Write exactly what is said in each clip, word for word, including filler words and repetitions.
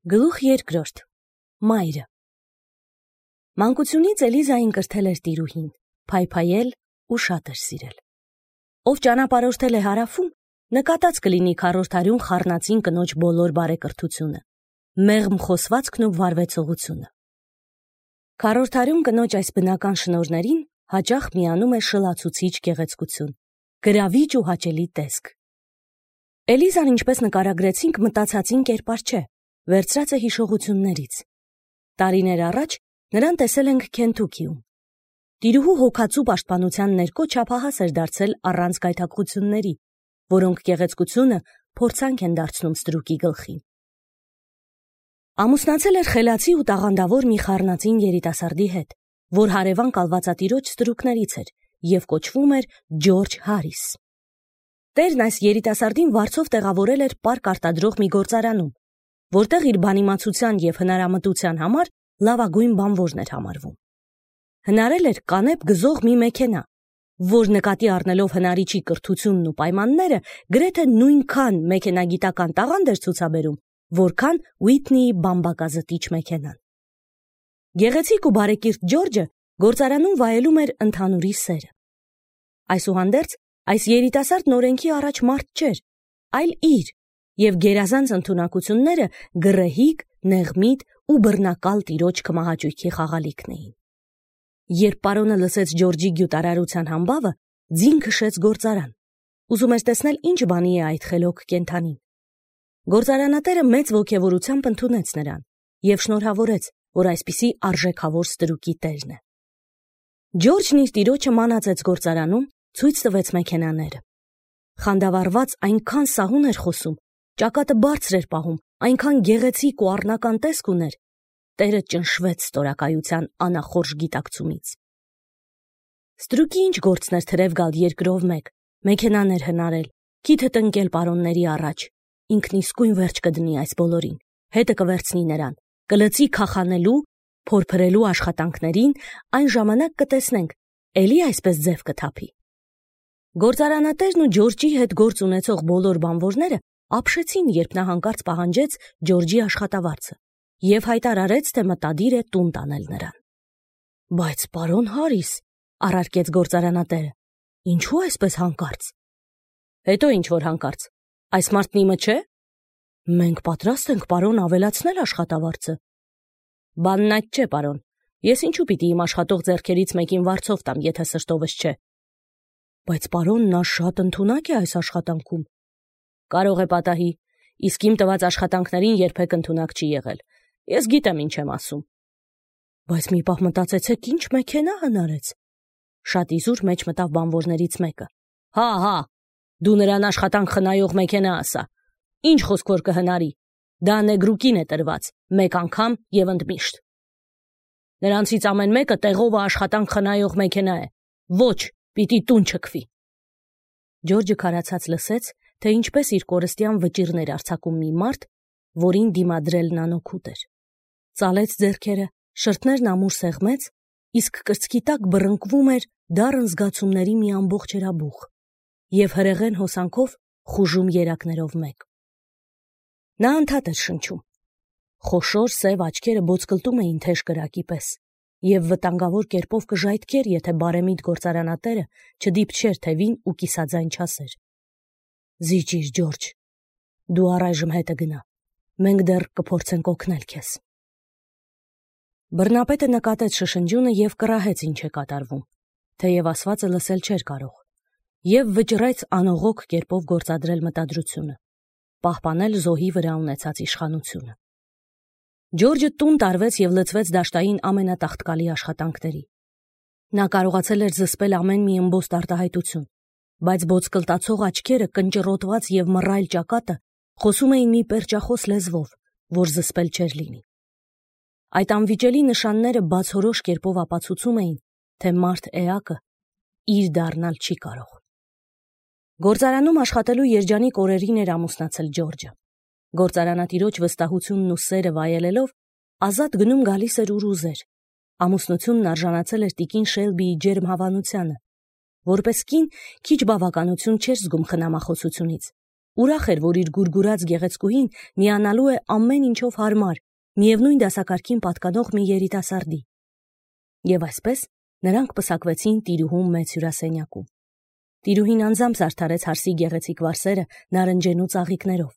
Գլուխ երկրորդ. Մայրը։ Մանկությունից Էլիզային կրթել էր տիրուհին, փայփայել ու շատ էր սիրել։ Ով ճանապարհորդել է հարավում, նկատած կլինի քառորդարյուն խառնածին կնոջ բոլոր բարեկրթությունը, մեղմ խոսվածքն ու վարվեցողությունը։ Քառորդարյուն կնոջ այս բնական շնորհներին հաճախ միանում է շլացուցիչ գեղեցկություն, գրավիչ ու հաճելի տեսք։ Էլիզան, ինչպես նկարագրեցինք, մտածածին կերպար չէ, վերցրած է հիշողություններից։ Տարիներ առաջ նրան տեսել ենք Քենթուքիում։ Տիրուհու հոգացու պաշտպանության ներքո չափահաս էր դարձել առանց գայթակղությունների, որոնք գեղեցկությունը փորձանք են դարձնում ստրուկի գլխին։ Ամուսնացել էր խելացի ու տաղանդավոր մի խառնածին երիտասարդի հետ, որ հարևան կալվածատիրոջ ստրուկներից էր և կոչվում էր Ջորջ Հարիս։ Տերն այս երիտասարդին վարձով տեղավորել էր պարկ արտադրող մի գործարանում, որտեղ իր բանիմացության և հնարամտության համար լավագույն բանվորն էր համարվում։ Հնարել էր կանեփ գզող մի մեքենա, որ նկատի առնելով հնարիչի կրթությունն ու պայմանները, գրեթե նույնքան մեքենագիտական տաղանդ էր ցուցաբերում, որքան Ուիթնիի բամբակազտիչ մեքենան։ Գեղեցիկ ու բարեկիրթ Ջորջը գործարանում վայելում էր ընդհանուրի սերը։ Այսուհանդերձ, այս երիտասարդն օրենքի առաջ մարդ չէր, այլ իր, և գերազանց ընդունակությունները գռեհիկ, նեղմիտ ու բռնակալ տիրոջ քմահաճույքի խաղալիքն էին։ Երբ պարոնը լսեց Ջորջի գյուտարարության համբավը, ձին քշեց գործարան, ուզում էր տեսնել ինչ բանի է այդ խելոք կենդանին։ Գործարանատերը մեծ ոգևորությամբ ընդունեց նրան և շնորհավորեց, որ այսպիսի արժեքավոր ստրուկի տերն է։ Ջորջն իր տիրոջը մանածեց գործարանում, ցույց տվեց մեքենաները։ Խանդավառված այնքան սահուն էր խոսում, ճակատը բարձր էր պահում, այնքան գեղեցիկ ու առնական տեսք ուներ, տերը ճնշվեց ստորակայության անախորժ գիտակցումից։ Ստրուկի ինչ գործն էր թրև գալ երկրով մեկ, մեքենաներ հնարել, քիթը տնկել պարոնների առաջ, ինքն իսկույն վերջ կդնի այս բոլորին, հետը կվերցնի նրան, կլծի քախանելու, փորփրելու աշխատանքներին, այն ժամանակ կտեսնենք, էլի այսպես ձև կթափի։ Գործարանատերն ու Ջորջի հետ գործ ունեցող բոլոր բանվորները ապշեցին, երբ նա հանկարծ պահանջեց Ջորջի աշխատավարձը և հայտարարեց, թե մտադիր է տուն տանել նրան։ Բայց պարոն Հարիս, առարկեց գործարանատերը, ինչու այսպես հանկարծ։ Հետո ինչ որ հանկարծ, այս մարդն իմը չէ։ Մենք պատրաստ ենք, պարոն, ավելացնել աշխատավարձը։ Բանն այդ չէ, պարոն, ես ինչու պիտի իմ աշխատող ձեռքերից մեկին վարձով տամ, եթե սրտովս չէ։ Բայց պարոն, նա շատ ընդունակ է այս աշխատանքում։ Կարող է պատահի, իսկ իմ տված աշխատանքներին երբեք ընդունակ չի եղել։ Ես գիտեմ ինչ եմ ասում։ Բայց մի պահ մտածեցեք, ինչ մեքենա հնարեց։ Շատ իզուր մեջ մտավ բանվորներից մեկը։ Հա, հա, դու նրան աշխատանք խնայող մեքենա ասա։ Ինչ խոսք որ կհնարի։ Դա նեգրուկին է տրված, մեկ անգամ և ընդմիշտ։ Նրանցից ամեն մեկը տեղովը աշխատանք խնայող մեքենա է։ Ոչ, պիտի տուն չքվի։ Ջորջը քարացած լսեց, թե ինչպես իր կորստյան վճիռներ արձակում մի մարդ, որին դիմադրելն անօգուտ էր։ Ծալեց ձեռքերը, շրթներն ամուր սեղմեց, իսկ կրծքի տակ բռնկվում էր դառն զգացումների մի ամբողջ հրաբուխ և հրեղեն հոսանքով խուժում երակներով մեկ։ Նա անդադ էր շնչում։ Խոշոր սև աչքերը բոցկլտում էին թեժ կրակի պես և վտանգավոր կերպով կժայթքեր, եթե բարեմիտ գործարանատերը չդիպչեր թևին ու կիսաձայն չասեր. Զիջիր, Ջորջ, դու առայժմ հետը գնա, մենք դեռ կփորձենք օգնել քեզ։ Բռնապետը նկատեց շշնջյունը և կռահեց ինչ է կատարվում, թեև ասվածը լսել չէր կարող, և վճռեց անողոք կերպով գործադրել մտադրությունը, պահպանել զոհի վրա ունեցած իշխանությունը։ Ջորջը տուն տարվեց և լցվեց դաշտային ամենատաղտկալի աշխատանքների։ Նա կարողացել էր զսպել ամեն մի ըմբոստ արտահայտություն, բայց բոցկլտացող աչքերը, կնճռոտված և մռայլ ճակատը խոսում էին մի պերճախոս լեզվով, որ զսպել չէր լինի։ Այդ անվիճելի նշանները բացորոշ կերպով ապացուցում էին, թե մարդ էակը իր դառնալ չի կարող։ Գործարանում աշխատելու երջանիկ օրերին էր ամուսնացել Ջորջը։ Գործարանատիրոջ վստահությունն ու սերը վայելելով, ազատ գնում գալիս էր ուր ուզեր։ Ամուսնությունն արժանացել էր տիկին Շելբիի ջերմ հավանությանը։ Որպես կին քիչ բավականություն չէր զգում խնամախոսությունից, Ուրախ էր, որ իր գուրգուրած գեղեցկուհին միանալու է ամեն ինչով հարմար, միևնույն դասակարգին պատկանող մի երիտասարդի։ Եվ այսպես նրանք պսակվեցին տիրուհու մեծ հյուրասենյակում։ Տիրուհին անձամբ զարդարեց հարսի գեղեցիկ վարսերը նարնջենու ծաղիկներով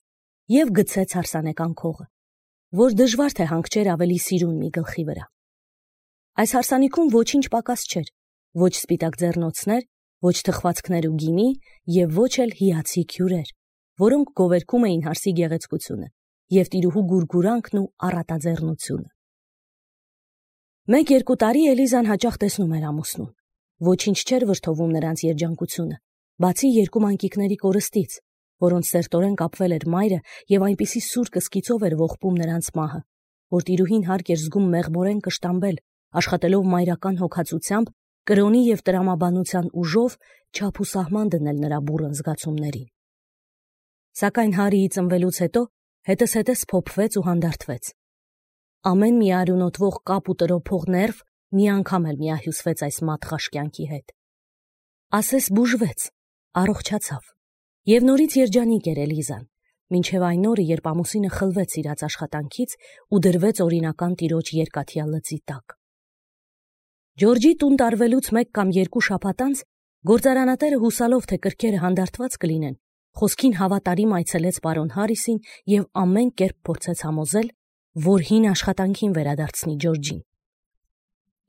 և գցեց հարսանեկան քողը, որ դժվար թե հանգչեր ավելի սիրուն մի գլխի վրա։ Այս հարսանիքում ոչինչ պակաս չէր, ոչ սպիտակ ձեռնոցներ, ոչ թխվածքներ ու գինի և ոչ էլ հիացիկ հյուրեր, որոնք գովերգում էին հարսի գեղեցկությունը և տիրուհու գուրգուրանքն ու առատաձեռնությունը։ Մեկ-երկու տարի Էլիզան հաճախ տեսնում էր ամուսնուն։ Ոչինչ չէր վրդովում նրանց երջանկությունը, բացի երկու մանկիկների կորստից, որոնց սերտորեն կապվել էր մայրը և այնպիսի սուր կսկիծով էր ողբում նրանց մահը, որ տիրուհին հարկ էր զգում մեղմորեն կշտամբել, աշխատելով մայրական հոգացությամբ, կրոնի և տրամաբանության ուժով չափ ու սահման դնել նրա բուռն զգացումներին։ Սակայն Հարիի ծնվելուց հետո հետզհետե փոփվեց ու հանդարտվեց։ Ամեն մի արյունոտվող կապ ու տրոփող ներվ մի անգամ էլ միահյուսվեց այս մատղաշ կյանքի հետ։ Ասես բուժվեց, առողջացավ և նորից երջանիկ էր Էլիզան, մինչև այն օրը, երբ ամուսինը խլվեց իրաց աշխատանքից ու դրվեց օրինական տիրոջ երկաթյա լծի տակ։ Ջորջի տուն տարվելուց մեկ կամ երկու շաբաթ անց գործարանատերը հուսալով, թե կրքերը հանդարտված կլինեն, խոսքին հավատարիմ այցելեց պարոն Հարիսին և ամեն կերպ փորձեց համոզել, որ հին աշխատանքին վերադարձնի Ջորջին։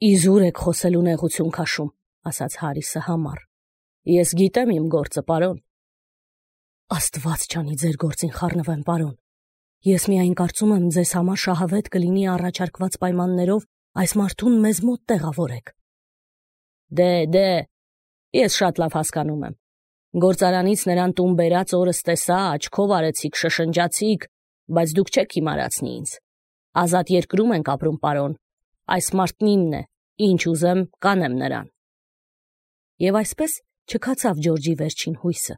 «Իզուր եք խոսելու նեղություն քաշում», ասաց Հարիսը համառ։ «Ես գիտեմ իմ գործը, պարոն»։ «Աստված չանի ձեր գործին խառնվեմ, պարոն։ Ես միայն կարծում եմ, ձեզ համար շահավետ կլինի առաջարկված պայմաններով այս մարդուն մեզ մոտ տեղավորեք»։ «Դե, դե, ես շատ լավ հասկանում եմ։ Գործարանից նրան տուն բերած օրս տեսա, աչքով արեցիք, շշնջացիք, բայց դուք չեք հիմարացնի ինձ։ Ազատ երկրում ենք ապրում, պարոն։ Այս մարդն իմն է, ինչ ուզեմ, կանեմ նրան»։ Եվ այսպես չքացավ Ջորջի վերջին հույսը։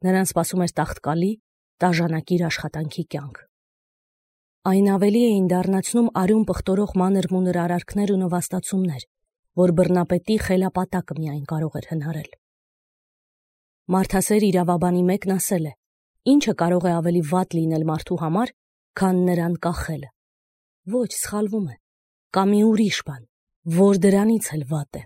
Նրան սպասում էր տաղտկալի, տաժանակիր աշխատանքի կյանք։ Այն ավելի էին դառնացնում արյուն պղտորող մանր-մունր արարքներ ու նվաստացումներ, որ բռնապետի խելապատակը միայն կարող էր հնարել։ Մարդասեր իրավաբանի մեկն ասել է. ինչը կարող է ավելի վատ լինել մարդու համար, քան նրան կախելը։ Ոչ, սխալվում է, կա մի ուրիշ բան, որ դրանից էլ վատ է։